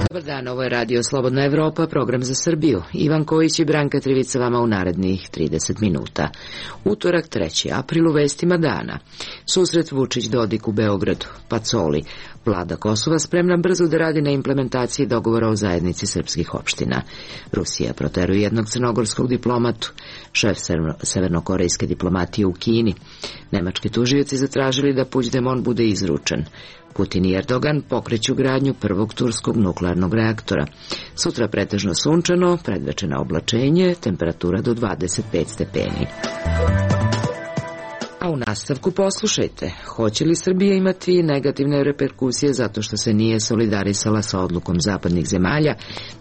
Dobar dan, ovo je Radio Slobodna Evropa, program za Srbiju. Ivan Kojić i Branka Trivica vama u narednih 30 minuta. Utorak, 3. april, u vestima dana. Susret Vučić-Dodik u Beogradu, Pacoli. Vlada Kosova spremna brzo da radi na implementaciji dogovora o zajednici srpskih opština. Rusija proteruje jednog crnogorskog diplomatu. Šef severnokorejske diplomatije u Kini. Nemački tužioci zatražili da Puigdemont bude izručen. Putin i Erdogan pokreću gradnju prvog turskog nuklearnog reaktora. Sutra pretežno sunčano, predveče na oblačenje, temperatura do 25 stepeni. A u nastavku poslušajte, hoće li Srbija imati negativne reperkusije zato što se nije solidarisala sa odlukom zapadnih zemalja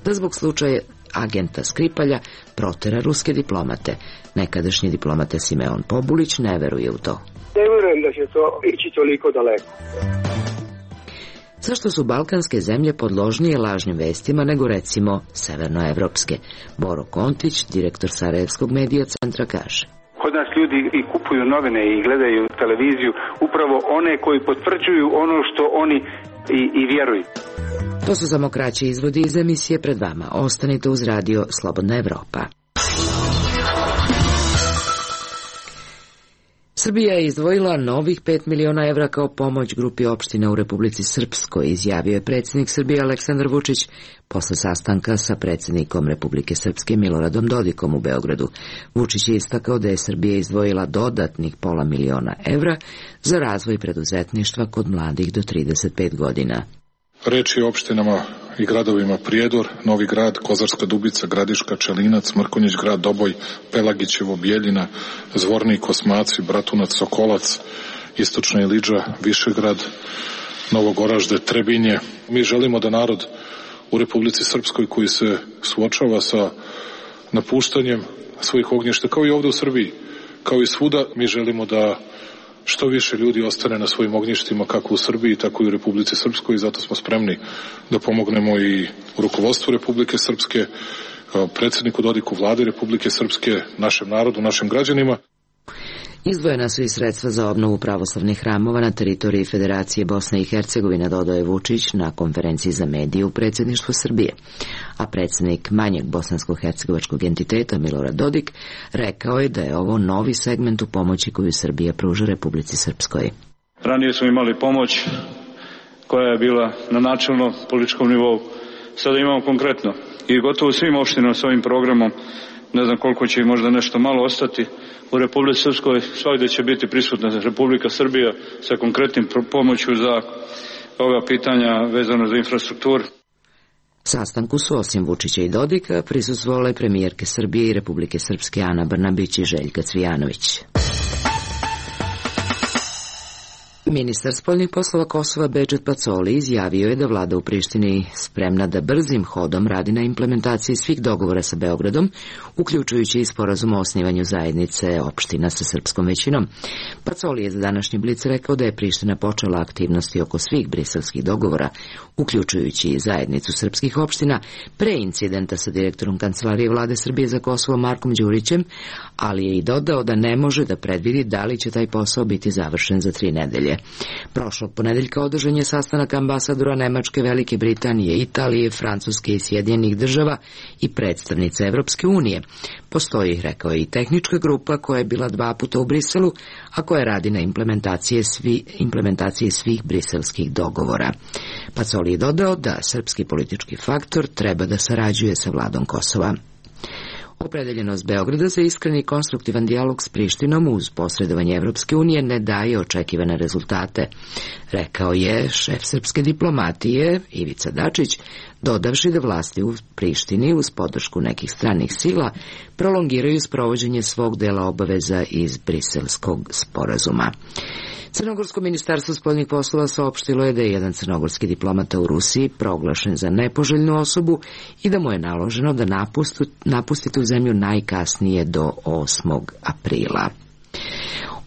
da zbog slučaja agenta Skripalja protera ruske diplomate? Nekadašnji diplomata Simeon Pobulić ne veruje u to. Ne verujem da će to ići toliko daleko. Zašto su balkanske zemlje podložnije lažnim vestima nego recimo severnoevropske? Boro Kontić, direktor Sarajevskog medija centra, kaže. Kod nas ljudi i kupuju novine i gledaju televiziju upravo one koji potvrđuju ono što oni i vjeruju. To su samo kraći izvodi iz emisije pred vama. Ostanite uz Radio Slobodna Evropa. Srbija je izdvojila novih 5 miliona evra kao pomoć grupi opština u Republici Srpskoj, izjavio je predsjednik Srbije Aleksandar Vučić posle sastanka sa predsjednikom Republike Srpske Miloradom Dodikom u Beogradu. Vučić je istakao da je Srbija izdvojila dodatnih pola miliona evra za razvoj preduzetništva kod mladih do 35 godina. Reč je o opštinama i gradovima Prijedor, Novi Grad, Kozarska Dubica, Gradiška, Čelinac, Mrkonjić Grad, Doboj, Pelagićevo, Bijeljina, Zvornik, Kosmaci, Bratunac, Sokolac, Istočna Ilidža, Višegrad, Novogoražde, Trebinje. Mi želimo da narod u Republici Srpskoj koji se suočava sa napuštanjem svojih ognjišta, kao i ovde u Srbiji, kao i svuda, mi želimo da što više ljudi ostane na svojim ognjištima kako u Srbiji, tako i u Republici Srpskoj i zato smo spremni da pomognemo i rukovodstvu Republike Srpske, predsjedniku Dodiku, vlade Republike Srpske, našem narodu, našim građanima. Izdvojena su i sredstva za obnovu pravoslavnih hramova na teritoriji Federacije Bosne i Hercegovine, dodao je Vučić na konferenciji za medije u predsjedništvu Srbije. A predsjednik manjeg bosansko-hercegovačkog entiteta Milorad Dodik rekao je da je ovo novi segment u pomoći koju Srbija pruža Republici Srpskoj. Ranije smo imali pomoć koja je bila na načelno političkom nivou. Sada imamo konkretno i gotovo svim opštinama s ovim programom, ne znam koliko će i možda nešto malo ostati, u Republici Srpskoj svakde će biti prisutna Republika Srbija sa konkretnim pomoću za ova pitanja vezano za infrastrukturu. Sastanku su osim Vučića i Dodika prisustvovale premijerke Srbije i Republike Srpske Ana Brnabić i Željka Cvijanović. Ministar spoljnih poslova Kosova Bedžet Pacoli izjavio je da vlada u Prištini spremna da brzim hodom radi na implementaciji svih dogovora sa Beogradom, uključujući i sporazum o osnivanju zajednice opština sa srpskom većinom. Pacoli je za današnji Blic rekao da je Priština počela aktivnosti oko svih briselskih dogovora, uključujući i zajednicu srpskih opština, pre incidenta sa direktorom Kancelarije vlade Srbije za Kosovo Markom Đurićem, ali je i dodao da ne može da predvidi da li će taj posao biti završen za 3 nedelje. Prošlog ponedeljka održan je sastanak ambasadora Nemačke, Velike Britanije, Italije, Francuske i Sjedinjenih država i predstavnica Evropske unije. Postoji, rekao je, i tehnička grupa koja je bila 2 puta u Briselu, a koja radi na implementaciji svih briselskih dogovora. Pacoli je dodao da srpski politički faktor treba da sarađuje sa vladom Kosova. Opredeljenost Beograda za iskreni i konstruktivan dijalog s Prištinom uz posredovanje Evropske unije ne daje očekivane rezultate, rekao je šef srpske diplomatije Ivica Dačić, dodavši da vlasti u Prištini uz podršku nekih stranih sila prolongiraju sprovođenje svog dela obaveza iz Briselskog sporazuma. Crnogorsko ministarstvo spoljnih poslova saopštilo je da je jedan crnogorski diplomata u Rusiji proglašen za nepoželjnu osobu i da mu je naloženo da napusti tu zemlju najkasnije do 8. aprila.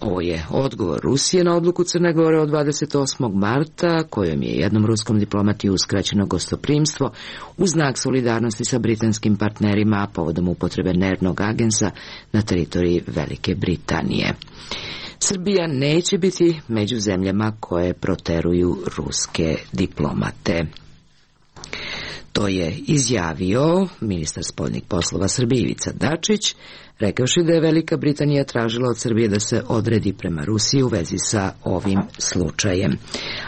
Ovo je odgovor Rusije na odluku Crne Gore od 28. marta, kojom je jednom ruskom diplomati uskraćeno gostoprimstvo u znak solidarnosti sa britanskim partnerima povodom upotrebe nervnog agensa na teritoriji Velike Britanije. Srbija neće biti među zemljama koje proteruju ruske diplomate. To je izjavio ministar spoljnih poslova Srbije Ivica Dačić, rekavši da je Velika Britanija tražila od Srbije da se odredi prema Rusiji u vezi sa ovim slučajem.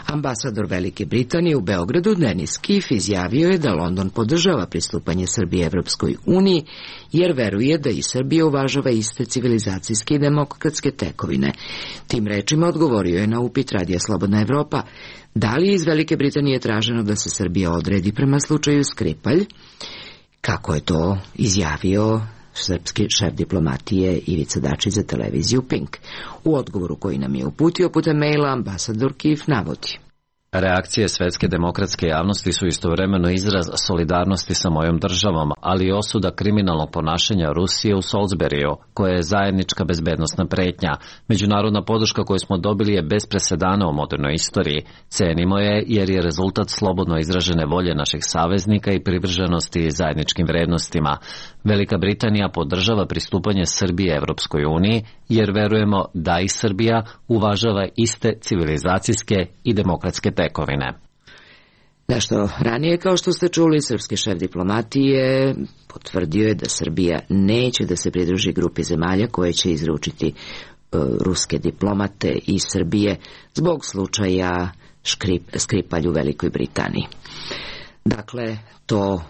Ambasador Velike Britanije u Beogradu Denis Kiff izjavio je da London podržava pristupanje Srbije Evropskoj uniji, jer veruje da i Srbija uvažava iste civilizacijske i demokratske tekovine. Tim rečima odgovorio je na upit Radija Slobodna Evropa da li je iz Velike Britanije traženo da se Srbija odredi prema slučaju Skripalj, kako je to izjavio srpski šef diplomatije Ivica Dačić za televiziju Pink. U odgovoru koji nam je uputio putem maila ambasador Kiff navodi: Reakcije svetske demokratske javnosti su istovremeno izraz solidarnosti sa mojom državom, ali i osuda kriminalnog ponašanja Rusije u Salisburiju, koja je zajednička bezbednosna pretnja. Međunarodna podrška koju smo dobili je bez presedana u modernoj istoriji. Cenimo je jer je rezultat slobodno izražene volje naših saveznika i privrženosti zajedničkim vrednostima. Velika Britanija podržava pristupanje Srbije Evropskoj uniji, jer verujemo da i Srbija uvažava iste civilizacijske i demokratske tekovine. Nešto ranije, kao što ste čuli, srpski šef diplomatije potvrdio je da Srbija neće da se pridruži grupi zemalja koje će izručiti ruske diplomate iz Srbije zbog slučaja Skripalj u Velikoj Britaniji. Dakle, to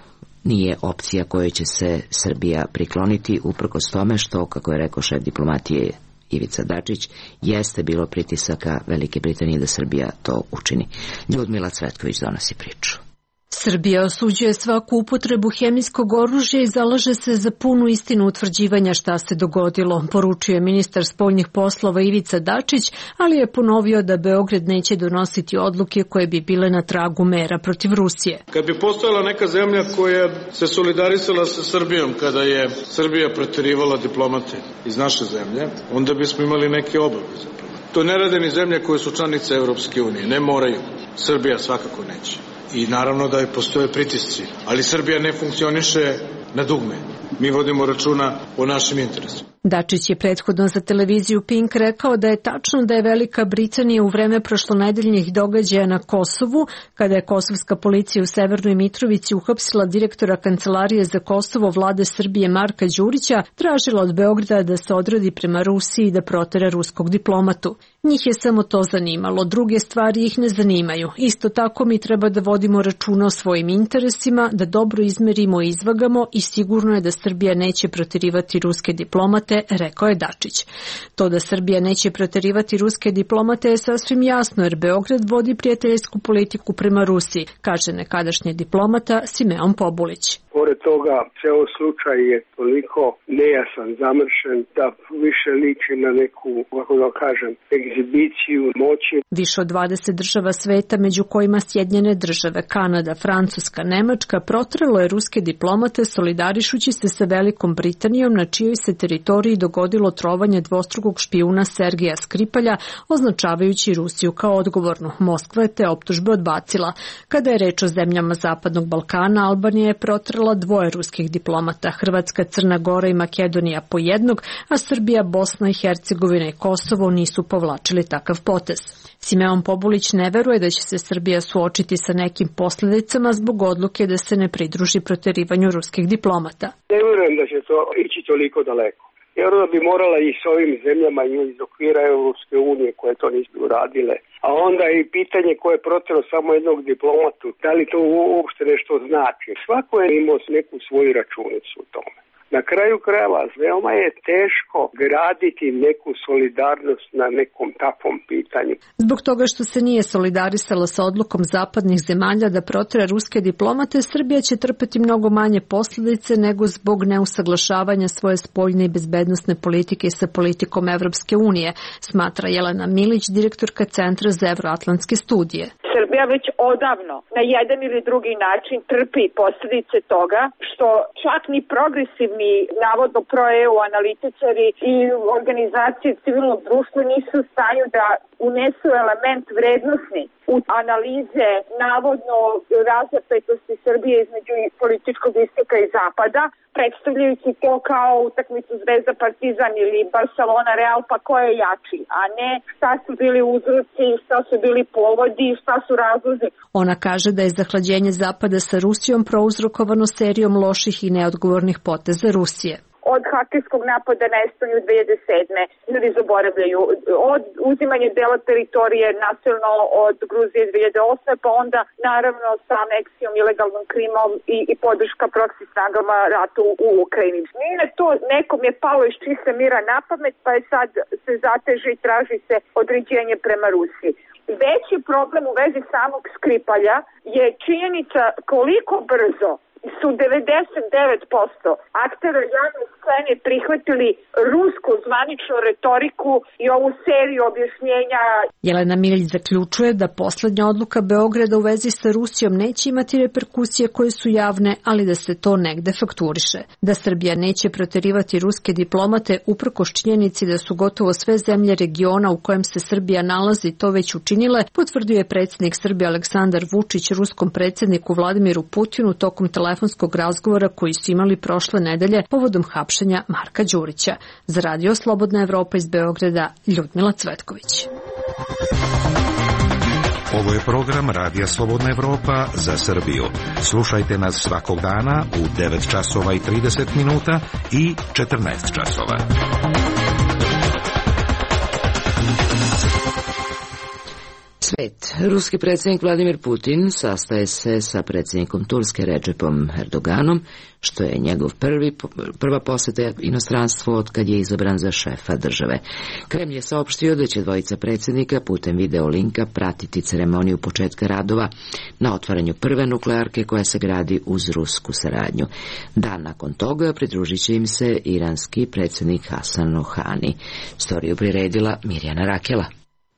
nije opcija kojoj će se Srbija prikloniti, uprkos tome što, kako je rekao šef diplomatije Ivica Dačić, jeste bilo pritisaka Velike Britanije da Srbija to učini. Ljudmila Cvetković donosi priču. Srbija osuđuje svaku upotrebu hemijskog oružja i zalaže se za punu istinu utvrđivanja šta se dogodilo, poručuje ministar spoljnih poslova Ivica Dačić, ali je ponovio da Beograd neće donositi odluke koje bi bile na tragu mera protiv Rusije. Kad bi postojala neka zemlja koja se solidarisala sa Srbijom kada je Srbija preterivala diplomate iz naše zemlje, onda bismo imali neke obaveze. To ne rade ni zemlje koje su članice Evropske unije, ne moraju. Srbija svakako neće. I naravno da je postoje pritisci, ali Srbija ne funkcioniše na dugme. Mi vodimo računa o našim interesima. Dačić je prethodno za televiziju Pink rekao da je tačno da je Velika Britanija u vreme prošlonedeljnih događaja na Kosovu, kada je kosovska policija u Severnoj Mitrovici uhapsila direktora Kancelarije za Kosovo Vlade Srbije Marka Đurića, tražila od Beograda da se odredi prema Rusiji i da protera ruskog diplomatu. Njih je samo to zanimalo, druge stvari ih ne zanimaju. Isto tako mi treba da vodimo računa o svojim interesima, da dobro izmerimo i izvagamo i sigurno je da Srbija neće proterivati ruske diplomate, rekao je Dačić. To da Srbija neće proterivati ruske diplomate je sasvim jasno, jer Beograd vodi prijateljsku politiku prema Rusiji, kaže nekadašnji diplomata Simeon Pobulić. Pored toga, ceo slučaj je toliko nejasan, zamršen, da više liči na neku, kako da kažem, egzibiciju moći. Više od 20 država sveta, među kojima Sjedinjene države, Kanada, Francuska, Nemačka, protrelo je ruske diplomate solidarišući se sa Velikom Britanijom, na čijoj se teritoriji dogodilo trovanje dvostrukog špijuna Sergeja Skripalja, označavajući Rusiju kao odgovornu. Moskva je te optužbe odbacila. Kada je reč o zemljama Zapadnog Balkana, Albanija je protrela dvoje ruskih diplomata, Hrvatska, Crna Gora i Makedonija po jednog, a Srbija, Bosna i Hercegovina i Kosovo nisu povlačili takav potez. Simeon Pobulić ne veruje da će se Srbija suočiti sa nekim posledicama zbog odluke da se ne pridruži proterivanju ruskih diplomata. Ne verujem da će to ići toliko daleko. Jer da bi morala i s ovim zemljama iz okvira Evropske unije koje to nisu uradile. A onda i pitanje koje je protero samo jednog diplomatu, da li to uopšte nešto znači. Svako je imao neku svoju računicu u tome. Na kraju krajeva, veoma je teško graditi neku solidarnost na nekom takvom pitanju. Zbog toga što se nije solidarisala sa odlukom zapadnih zemalja da protera ruske diplomate, Srbija će trpeti mnogo manje posljedice nego zbog neusaglašavanja svoje spoljne i bezbednosne politike sa politikom Evropske unije, smatra Jelena Milić, direktorka Centra za evroatlantske studije. Srbija već odavno na jedan ili drugi način trpi posljedice toga što čak ni progresivne brojni navodno pro-EU analitičari i organizacije civilnog društva nisu u stanju da unesu element vrednosni u analize navodno razapetosti Srbije između političkog istoka i zapada, predstavljajući to kao utakmicu Zvezda Partizan ili Barcelona Real, pa ko je jači, a ne šta su bili uzroci, šta su bili povodi, šta su razlozi. Ona kaže da je zahlađenje zapada sa Rusijom prouzrokovano serijom loših i neodgovornih poteza Rusije. Od hakerskog napada na Estoniju 2007. ljudi zaboravljaju, od uzimanja dela teritorije nasilno od Gruzije 2008. pa onda naravno sa aneksijom, ilegalnom Krimom i podrška proksi snagama ratu u Ukrajini. Nije to nekom je palo iz čista mira na pamet, pa je sad se zateže i traži se određenje prema Rusiji. Veći problem u vezi samog Skripalja je činjenica koliko brzo su 99% aktera javne scene prihvatili rusku zvaničnu retoriku i ovu seriju objašnjenja. Jelena Milj zaključuje da poslednja odluka Beograda u vezi sa Rusijom neće imati reperkusije koje su javne, ali da se to negde fakturiše. Da Srbija neće proterivati ruske diplomate uprkos činjenici da su gotovo sve zemlje regiona u kojem se Srbija nalazi to već učinile, potvrdio je predsjednik Srbije Aleksandar Vučić ruskom predsjedniku Vladimiru Putinu tokom telefonskog razgovora koji su imali prošle nedelje povodom hapšenja Marka Đurića. Za Radio Slobodna Evropa iz Beograda, Ljudmila Cvetković. Ovo je program Radija Slobodna Evropa za Srbiju. Slušajte nas svakog dana u 9 časova i 30 minuta i 14 časova. Svet. Ruski predsjednik Vladimir Putin sastaje se sa predsjednikom Turske Recepom Erdoganom, što je njegov prva poseta inostranstvu od kad je izabran za šefa države. Kremlj je saopštio da će dvojica predsjednika putem videolinka pratiti ceremoniju početka radova na otvaranju prve nuklearke koja se gradi uz rusku saradnju. Dan nakon toga pridružit će im se iranski predsjednik Hasan Rohani. Storiju priredila Mirjana Rakela.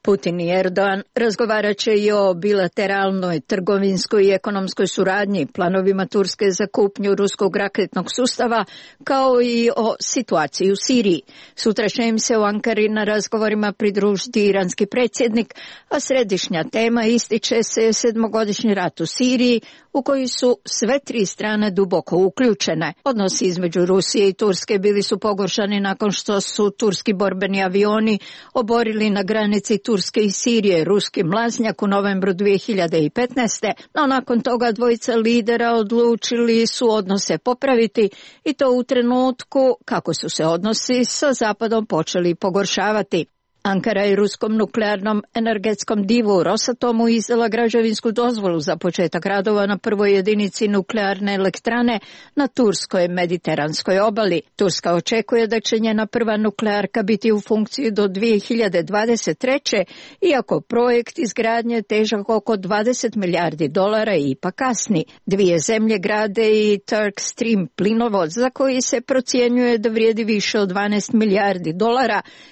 Putin i Erdogan razgovarat će i o bilateralnoj, trgovinskoj i ekonomskoj suradnji, planovima Turske za kupnju ruskog raketnog sustava, kao i o situaciji u Siriji. Sutra će im se u Ankari na razgovorima pridružiti iranski predsjednik, a središnja tema ističe se 7-godišnji rat u Siriji, u koji su sve tri strane duboko uključene. Odnosi između Rusije i Turske bili su pogoršani nakon što su turski borbeni avioni oborili na granici Turske i Sirije ruski mlaznjak u novembru 2015. No nakon toga dvojica lidera odlučili su odnose popraviti i to u trenutku kako su se odnosi sa Zapadom počeli pogoršavati. Ankara je ruskom nuklearnom energetskom divu Rosatomu izdala građevinsku dozvolu za početak radova na prvoj jedinici nuklearne elektrane na turskoj mediteranskoj obali. Turska očekuje da će njena prva nuklearka biti u funkciji do 2023. iako projekt izgradnje težak oko $20 milijardi i ipak kasni. Dvije zemlje grade i Turk Stream plinovod za koji se procjenjuje da vrijedi više od $12 milijardi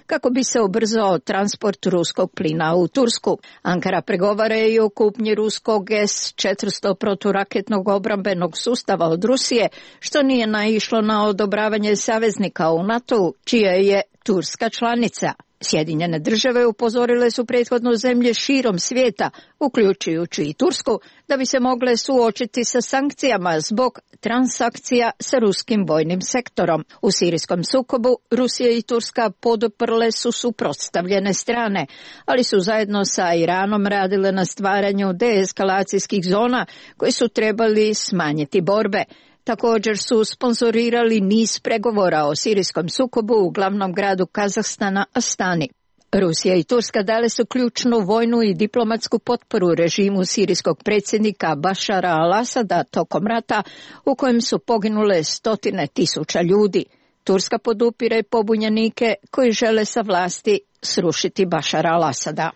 kako bi se ubrzao transport ruskog plina u Tursku. Ankara pregovara i o kupnji ruskog S-400 proturaketnog obrambenog sustava od Rusije, što nije naišlo na odobravanje saveznika u NATO-u, čija je Turska članica. Sjedinjene države upozorile su prethodno zemlje širom svijeta, uključujući i Tursku, da bi se mogle suočiti sa sankcijama zbog transakcija sa ruskim vojnim sektorom. U sirijskom sukobu Rusija i Turska poduprle su suprotstavljene strane, ali su zajedno sa Iranom radile na stvaranju deeskalacijskih zona koji su trebali smanjiti borbe. Također su sponzorirali niz pregovora o sirijskom sukobu u glavnom gradu Kazahstana Astani. Rusija i Turska dale su ključnu vojnu i diplomatsku potporu režimu sirijskog predsjednika Bašara al-Asada tokom rata u kojem su poginule 100.000 ljudi. Turska podupire pobunjenike koji žele sa vlasti srušiti Bašara al-Asada.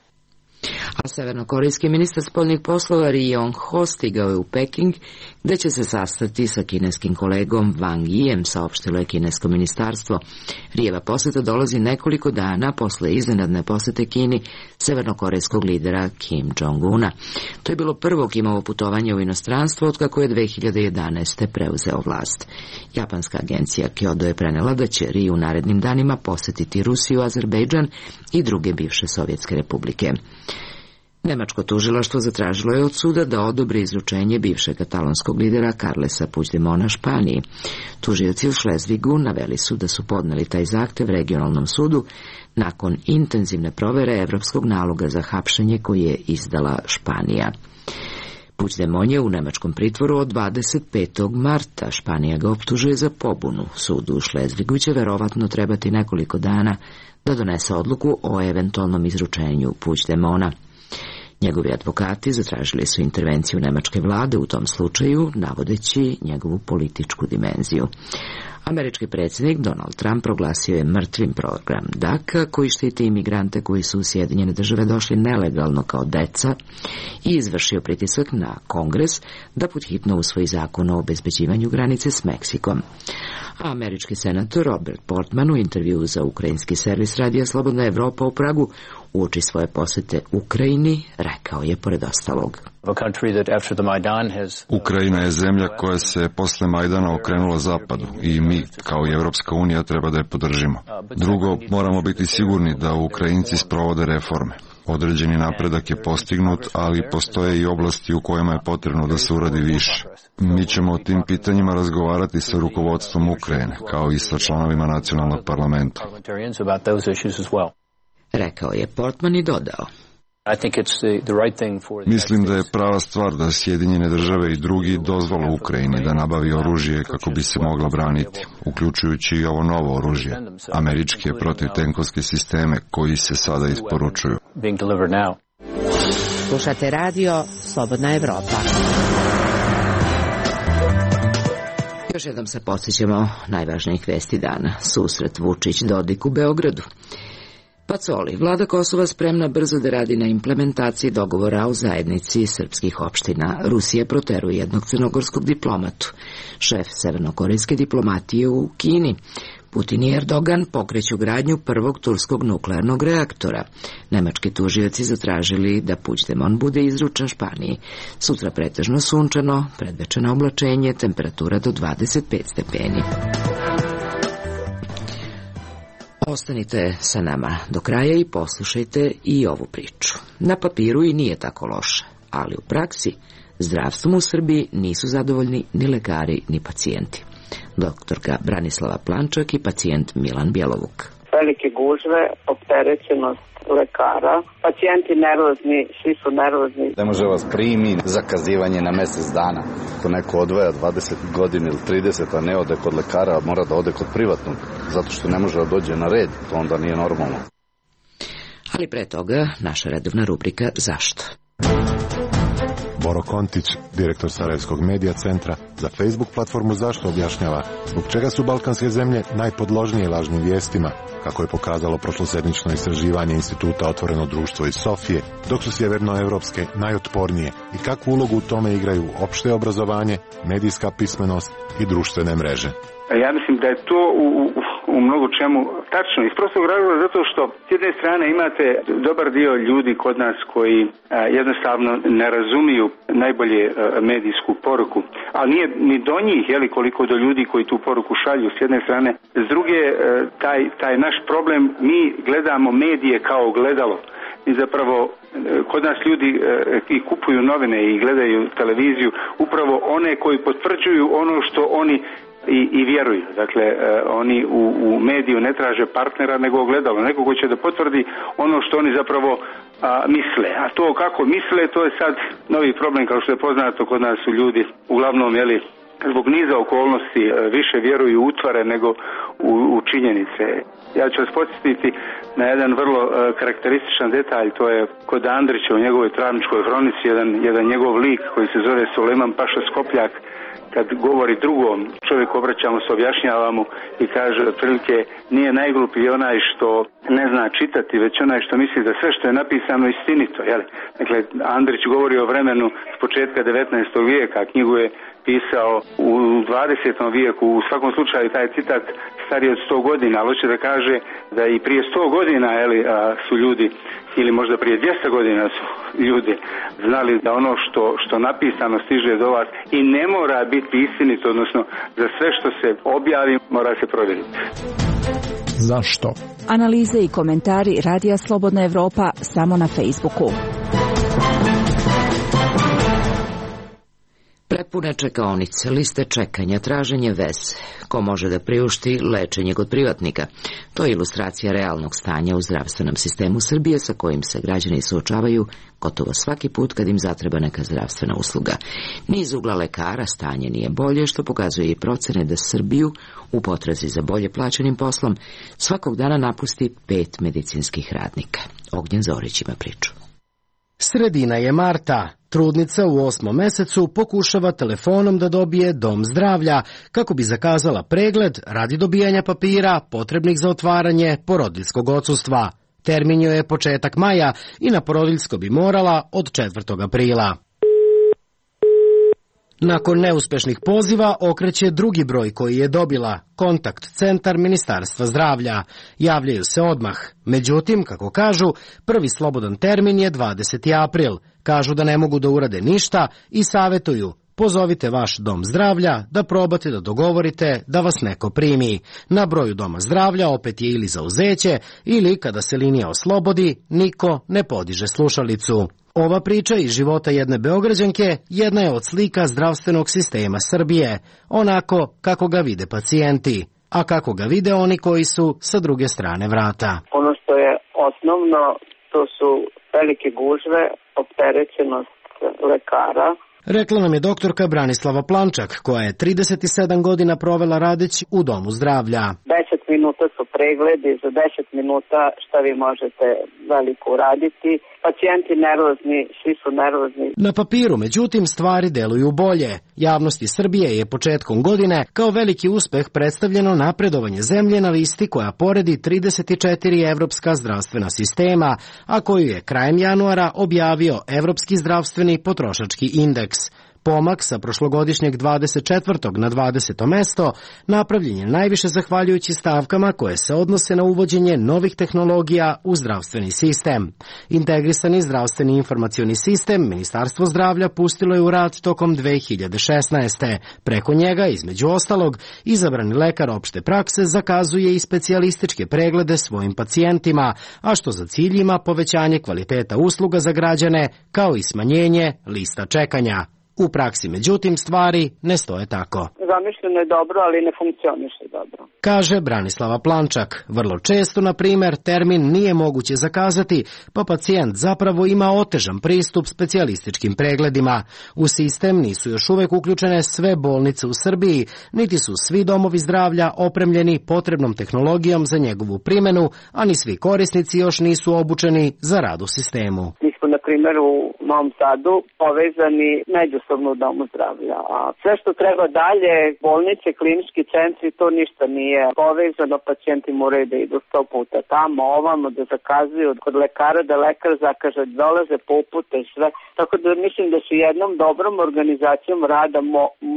A severnokorejski ministar spoljnih poslova Ri Yong Ho stigao je u Peking, gde će se sastati sa kineskim kolegom Wang Yijem, saopštilo je kinesko ministarstvo. Rijeva poseta dolazi nekoliko dana posle iznenadne posete Kini severnokorejskog lidera Kim Jong-una. To je bilo prvo Kimovo putovanje u inostranstvo otkako je 2011. preuzeo vlast. Japanska agencija Kyodo je prenela da će Ri u narednim danima posetiti Rusiju, Azerbejdžan i druge bivše sovjetske republike. Nemačko tužilaštvo zatražilo je od suda da odobri izručenje bivšeg katalonskog lidera Carlesa Puigdemona Španiji. Tužioci u Šlezvigu naveli su da su podneli taj zahtev regionalnom sudu nakon intenzivne provere evropskog naloga za hapšenje koji je izdala Španija. Puigdemon je u nemačkom pritvoru od 25. marta. Španija ga optužuje za pobunu. Sudu u Šlezvigu će verovatno trebati nekoliko dana da donese odluku o eventualnom izručenju Puigdemona. Njegovi advokati zatražili su intervenciju nemačke vlade u tom slučaju, navodeći njegovu političku dimenziju. Američki predsjednik Donald Trump proglasio je mrtvim program DACA, koji štiti imigrante koji su u Sjedinjene države došli nelegalno kao deca, i izvršio pritisak na Kongres da podhitno usvoji zakon o obezbeđivanju granice s Meksikom. A američki senator Robert Portman u intervjuu za ukrajinski servis radija Slobodna Evropa u Pragu uoči svoje posete Ukrajini rekao je pored ostalog: Ukrajina je zemlja koja se posle Majdana okrenula zapadu i mi, kao i Evropska unija, treba da je podržimo. Drugo, moramo biti sigurni da Ukrajinci sprovode reforme. Određeni napredak je postignut, ali postoje i oblasti u kojima je potrebno da se uradi više. Mi ćemo o tim pitanjima razgovarati sa rukovodstvom Ukrajine, kao i sa članovima nacionalnog parlamenta. Rekao je Portman i dodao: Mislim da je prava stvar da Sjedinjene države i drugi dozvole Ukrajini da nabavi oružje kako bi se mogla braniti, uključujući i ovo novo oružje, američke protivtenkovske sisteme koji se sada isporučuju. Slušate radio Slobodna Evropa. Još jednom se podsjećamo najvažnijih vesti dana. Susret Vučić-Dodik u Beogradu. Pacoli, vlada Kosova spremna brzo da radi na implementaciji dogovora o zajednici srpskih opština. Rusija proteruje jednog crnogorskog diplomatu. Šef severnokorejske diplomatije u Kini. Putin i Erdogan pokreću gradnju prvog turskog nuklearnog reaktora. Nemački tužioci zatražili da Puigdemon bude izručen Španiji. Sutra pretežno sunčano, predvečerno oblačenje, temperatura do 25 stepeni. Ostanite sa nama do kraja i poslušajte i ovu priču. Na papiru i nije tako loše, ali u praksi zdravstvom u Srbiji nisu zadovoljni ni lekari ni pacijenti. Doktorka Branislava Plančak i pacijent Milan Bjelovuk. Velike gužve, opterećenost lekara, pacijenti nervozni, svi su nervozni. Ne može vas primi, zakazivanje na mesec dana. Ako neko odvaja 20 godina ili 30, a ne ode kod lekara, mora da ode kod privatnog, zato što ne može da dođe na red, to onda nije normalno. Ali pre toga, naša redovna rubrika Zašto? Boro Kontić, direktor Sarajevskog medija centra za Facebook platformu Zašto, objašnjava zbog čega su balkanske zemlje najpodložnije lažnim vijestima, kako je pokazalo prošlosedmično istraživanje Instituta Otvoreno društvo iz Sofije, dok su sjevernoevropske najotpornije i kakvu ulogu u tome igraju opšte obrazovanje, medijska pismenost i društvene mreže. Ja mislim da je to u mnogo čemu tačno. Iz prostog razloga zato što s jedne strane imate dobar dio ljudi kod nas koji jednostavno ne razumiju najbolje medijsku poruku, ali nije ni do njih koliko do ljudi koji tu poruku šalju s jedne strane. S druge, taj naš problem, mi gledamo medije kao gledalo. I zapravo kod nas ljudi i kupuju novine i gledaju televiziju upravo one koji potvrđuju ono što oni i vjeruju. Dakle, oni u mediju ne traže partnera nego ogledalo. Neko ko će da potvrdi ono što oni zapravo misle. A to kako misle, to je sad novi problem, kao što je poznato, kod nas su ljudi uglavnom, zbog niza okolnosti više vjeruju u utvare nego u činjenice. Ja ću vas podsjetiti na jedan vrlo karakterističan detalj, to je kod Andrića u njegovoj Travničkoj hronici, jedan njegov lik koji se zove Sulejman Paša Skopljak, kad govori drugom čovjeku, obraćamo se, objašnjavamo i kaže otprilike nije najgluplji onaj što ne zna čitati, već onaj što misli da sve što je napisano istinito. Jel? Dakle, Andrić govori o vremenu s početka 19. vijeka, knjigu je pisao u 20. vijeku, u svakom slučaju taj citat stariji od 100 godina, ali hoće da kaže da i prije 100 godina su ljudi, ili možda prije 200 godina su ljudi znali da ono što napisano stiže do vas i ne mora biti istinito, odnosno za sve što se objavi mora se provjeriti. Zašto? Analize i komentari Radija Slobodna Evropa samo na Facebooku. Prepune čekaonice, liste čekanja, traženje veze. Ko može da priušti lečenje kod privatnika? To je ilustracija realnog stanja u zdravstvenom sistemu Srbije sa kojim se građani suočavaju gotovo svaki put kad im zatreba neka zdravstvena usluga. Ni iz ugla lekara stanje nije bolje, što pokazuje i procene da Srbiju u potrazi za bolje plaćenim poslom svakog dana napusti 5 medicinskih radnika. Ognjen Zorić ima priču. Sredina je marta. Trudnica u 8. mesecu pokušava telefonom da dobije dom zdravlja kako bi zakazala pregled radi dobijanja papira potrebnih za otvaranje porodiljskog odsustva. Termin joj je početak maja i na porodiljsko bi morala od 4. aprila. Nakon neuspešnih poziva okreće drugi broj koji je dobila, kontakt centar Ministarstva zdravlja. Javljaju se odmah. Međutim, kako kažu, prvi slobodan termin je 20. april. Kažu da ne mogu da urade ništa i savetuju: pozovite vaš dom zdravlja da probate da dogovorite da vas neko primi. Na broju doma zdravlja opet je ili zauzeće ili kada se linija oslobodi, niko ne podiže slušalicu. Ova priča iz života jedne Beograđanke jedna je od slika zdravstvenog sistema Srbije, onako kako ga vide pacijenti, a kako ga vide oni koji su sa druge strane vrata. Ono što je osnovno, to su velike gužve, opterećenost lekara. Rekla nam je doktorka Branislava Plančak, koja je 37 godina provela radeći u domu zdravlja. 10 minuta su pregledi, za 10 minuta šta vi možete veliko uraditi. Pacijenti nervozni, svi su nervozni. Na papiru, međutim, stvari deluju bolje. Javnosti Srbije je početkom godine kao veliki uspeh predstavljeno napredovanje zemlje na listi koja poredi 34 evropska zdravstvena sistema, a koju je krajem januara objavio Evropski zdravstveni potrošački indeks. Pomak sa prošlogodišnjeg 24. na 20. mesto napravljen je najviše zahvaljujući stavkama koje se odnose na uvođenje novih tehnologija u zdravstveni sistem. Integrisani zdravstveni informacioni sistem Ministarstvo zdravlja pustilo je u rad tokom 2016. Preko njega, između ostalog, izabrani lekar opšte prakse zakazuje i specijalističke preglede svojim pacijentima, a što za cilj ima povećanje kvaliteta usluga za građane, kao i smanjenje lista čekanja. U praksi, međutim, stvari ne stoje tako. Zamišljeno je dobro, ali ne funkcioniše dobro. Kaže Branislava Plančak. Vrlo često, na primer, termin nije moguće zakazati, pa pacijent zapravo ima otežan pristup specijalističkim pregledima. U sistem nisu još uvek uključene sve bolnice u Srbiji, niti su svi domovi zdravlja opremljeni potrebnom tehnologijom za njegovu primjenu, a ni svi korisnici još nisu obučeni za rad u sistemu. Mi smo, na primjer, u Novom Sadu povezani međusobno u domu zdravlja, a sve što treba dalje, bolnice, klinički centri, to ništa nije povezano, pacijenti moraju da idu 100 puta tamo, ovamo, da zakazuju kod lekara, da lekar zakaže, dolaze po upute i sve. Tako da mislim da su jednom dobrom organizacijom rada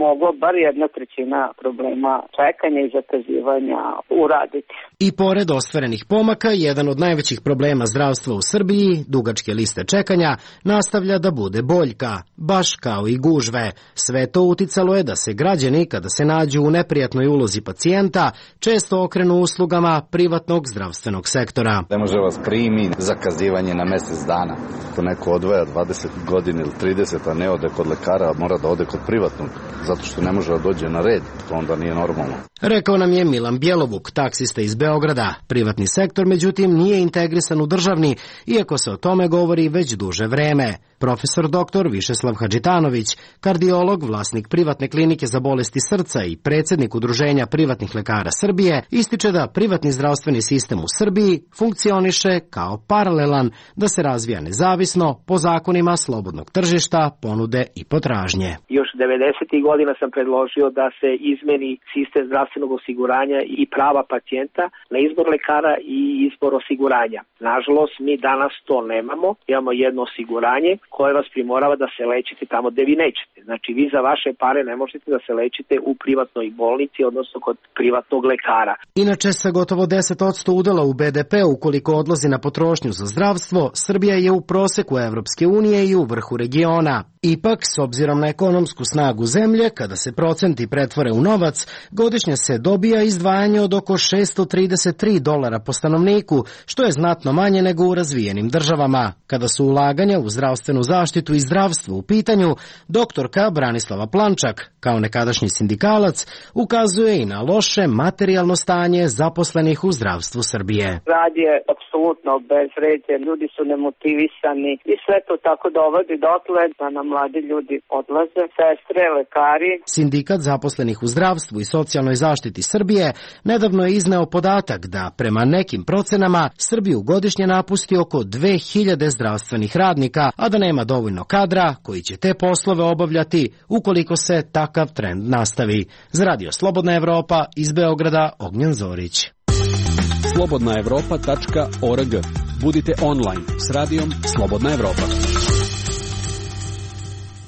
moglo bar 1/3 problema čekanja i zakazivanja uraditi. I pored ostvarenih pomaka, jedan od najvećih problema zdravstva u Srbiji, dugačke liste čekanja, nastavlja da bude boljka, baš kao i gužve. Sve to uticalo je da se građani, kada se nađu u neprijatnoj ulozi pacijenta, često okrenu uslugama privatnog zdravstvenog sektora. Ne može vas primi, zakazivanje na mesec dana. Ako neko odvaja 20 godina ili 30, a ne ode kod lekara, mora da ode kod privatnog, zato što ne može da dođe na red, to onda nije normalno. Rekao nam je Milan Bjelovuk, taksista iz Beograda. Privatni sektor, međutim, nije integrisan u državni, iako se o tome govori već duže vreme. Profesor dr. Višeslav Hadžitanović, kardiolog, vlasnik privatne klinike za bolesti srca i predsjednik Udruženja privatnih lekara Srbije, ističe da privatni zdravstveni sistem u Srbiji funkcioniše kao paralelan, da se razvija nezavisno po zakonima slobodnog tržišta, ponude i potražnje. Još 90. godina sam predložio da se izmeni sistem zdravstvenog osiguranja i prava pacijenta na izbor lekara i izbor osiguranja. Nažalost, mi danas to nemamo. Imamo jedno osiguranje koje vas primorava da se lečite tamo gde vi nećete. Znači, vi za vaše pare ne možete da se lečite u privatnoj bolnici, odnosno kod privatnog lekara. Inače, sa gotovo 10% udela u BDP ukoliko odlazi na potrošnju za zdravstvo, Srbija je u proseku Evropske unije i u vrhu regiona. Ipak, s obzirom na ekonomsku snagu zemlje, kada se procenti pretvore u novac, godišnje se dobija izdvajanje od oko $633 po stanovniku, što je znatno manje nego u razvijenim državama. Kada su ulaganja u zdravstvenu zaštitu i zdravstvo u pitanju, doktorka Branislava Plančak, kao nekadašnji sindikalac, ukazuje i na loše materijalno stanje zaposlenih u zdravstvu Srbije. Rad je apsolutno bezvređen, ljudi su nemotivisani i sve to tako dovodi dotle da nam mladi ljudi odlaze, sestre, lekari. Sindikat zaposlenih u zdravstvu i socijalnoj zaštiti Srbije nedavno je izneo podatak da prema nekim procenama Srbiju godišnje napusti oko 2000 zdravstvenih radnika, a da nema dovoljno kadra koji će te poslove obavljati ukoliko se takav trend nastavi. Za Radio Slobodna Evropa iz Beograda, Ognjen Zorić. slobodnaevropa.org. Budite online s radijom Slobodna Evropa.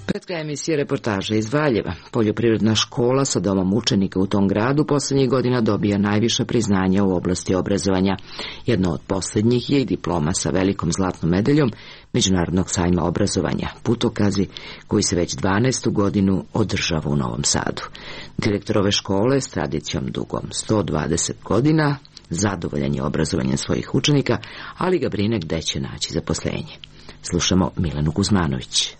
Pred kraj emisije reportaža iz Valjeva. Poljoprivredna škola sa domom učenika u tom gradu poslednjih godina dobija najviše priznanja u oblasti obrazovanja. Jedno od poslednjih je i diploma sa velikom zlatnom medaljom Međunarodnog sajma obrazovanja, putokazi koji se već 12. godinu održava u Novom Sadu. Direktor ove škole s tradicijom dugom 120 godina zadovoljan je obrazovanjem svojih učenika, ali ga brine gde će naći zaposlenje. Slušamo Milenu Kuzmanović.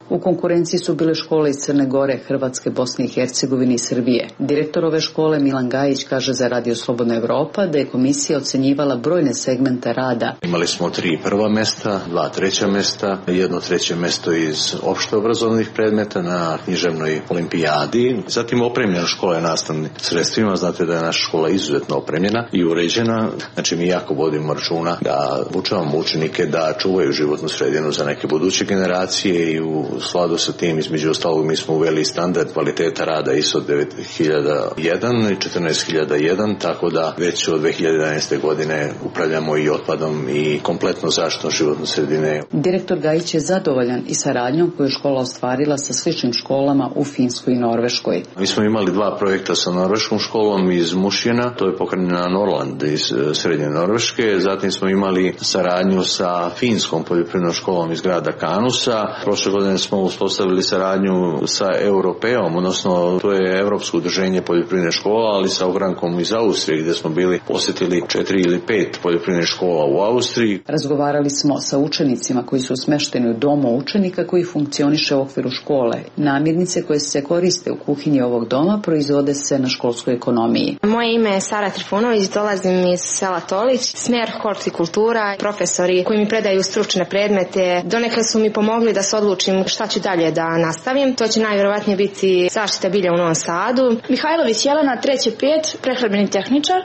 U konkurenciji su bile škole iz Crne Gore, Hrvatske, Bosne i Hercegovine i Srbije. Direktor ove škole Milan Gajić kaže za Radio Slobodna Evropa da je komisija ocenjivala brojne segmente rada. Imali smo 3 prva mesta, 2 treća mesta, 1 treće mesto iz opšte obrazovnih predmeta na književnoj olimpijadi. Zatim opremljena škola je nastavnim sredstvima. Znate da je naša škola izuzetno opremljena i uređena. Znači mi jako vodimo računa da obučavamo učenike da čuvaju životnu sredinu za neke buduće generacije i u skladu sa tim, između ostalog, mi smo uveli standard kvaliteta rada ISO 9001 i 14001, tako da već od 2011. godine upravljamo i otpadom i kompletno zaštitom životne sredine. Direktor Gajić je zadovoljan i saradnjom koju je škola ostvarila sa sličnim školama u Finskoj i Norveškoj. Mi smo imali 2 projekta sa norveškom školom iz Mušjena, to je pokrenula Norland iz srednje Norveške, zatim smo imali saradnju sa finskom poljoprivrednom školom iz grada Kanusa. Prošle godine smo uspostavili saradnju sa Europeom, odnosno to je Evropsko udruženje poljoprivredne škola, ali sa ogrankom iz Austrije gdje smo bili posjetili 4 ili 5 poljoprivrednih škola u Austriji. Razgovarali smo sa učenicima koji su smešteni u domu učenika koji funkcioniše u okviru škole. Namirnice koje se koriste u kuhinji ovog doma proizvode se na školskoj ekonomiji. Moje ime je Sara Trifunović, dolazim iz sela Tolić, smjer hortikultura. Profesori koji mi predaju stručne predmete donekle su mi pomogli da se odlučim šta ću dalje da nastavim. To će najvjerovatnije biti zaštita bilja u Novom Sadu. Mihajlović Jelena, 3.5, prehrambeni tehničar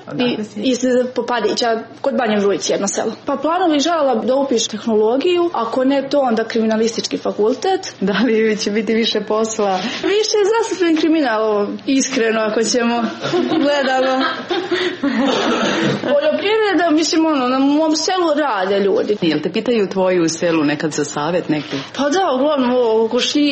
iz Popadića, kod Banje Vrujici, jedno selo. Pa planovi želela da upišem tehnologiju, ako ne to onda kriminalistički fakultet. Da li će biti više posla? Više je zastupljen kriminal, iskreno ako ćemo gledamo. Poljoprivreda, mislim na mom selu rade ljudi. Jel te pitaju tvoju u selu nekad za savjet neki? Pa da, uglavnom oko šljiva,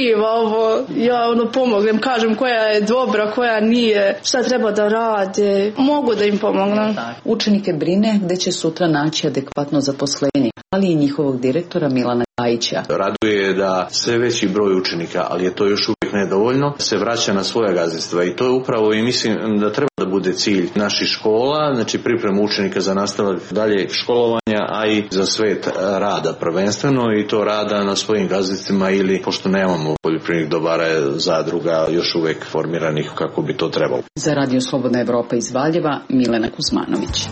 ja pomognem, kažem koja je dobra, koja nije, šta treba da rade, mogu da im pomognem. Učenike brine gde će sutra naći adekvatno zaposlenje, ali i njihovog direktora Milana Gajića. Raduje da sve veći broj učenika, ali je to još uvijek nedovoljno, se vraća na svoja gazdinstva i to je upravo i mislim da treba da bude cilj naših škola, znači priprema učenika za nastavak dalje školovanja, a i za svet rada prvenstveno i to rada na svojim gazdinstvima ili pošto nemamo poljoprivrednih dobara zadruga još uvijek formiranih kako bi to trebalo. Za Radio Slobodna Evropa iz Valjeva, Milena Kuzmanović.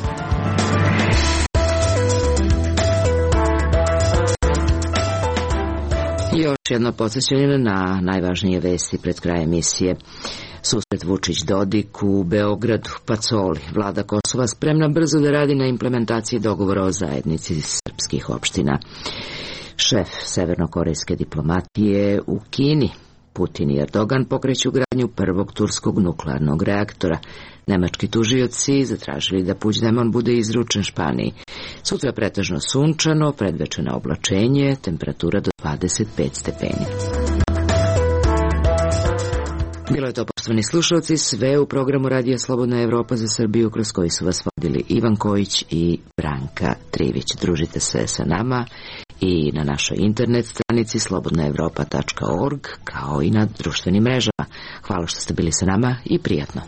Još jedno podsjećanje na najvažnije vesti pred krajem emisije. Susret Vučić-Dodik u Beogradu, Pacoli. Vlada Kosova spremna brzo da radi na implementaciji dogovora o zajednici srpskih opština. Šef severnokorejske diplomatije u Kini. Putin i Erdogan pokreću gradnju prvog turskog nuklearnog reaktora. Nemački tužioci zatražili da Puigdemont bude izručen Španiji. Sutra pretežno sunčano, predvečeno oblačenje, temperatura do 25 stepeni. Bilo je to, poštovani slušalci, sve u programu Radija Slobodna Evropa za Srbiju, kroz koji su vas vodili Ivan Kojić i Branka Trivić. Družite se sa nama i na našoj internet stranici slobodnaevropa.org, kao i na društvenim mrežama. Hvala što ste bili sa nama i prijatno.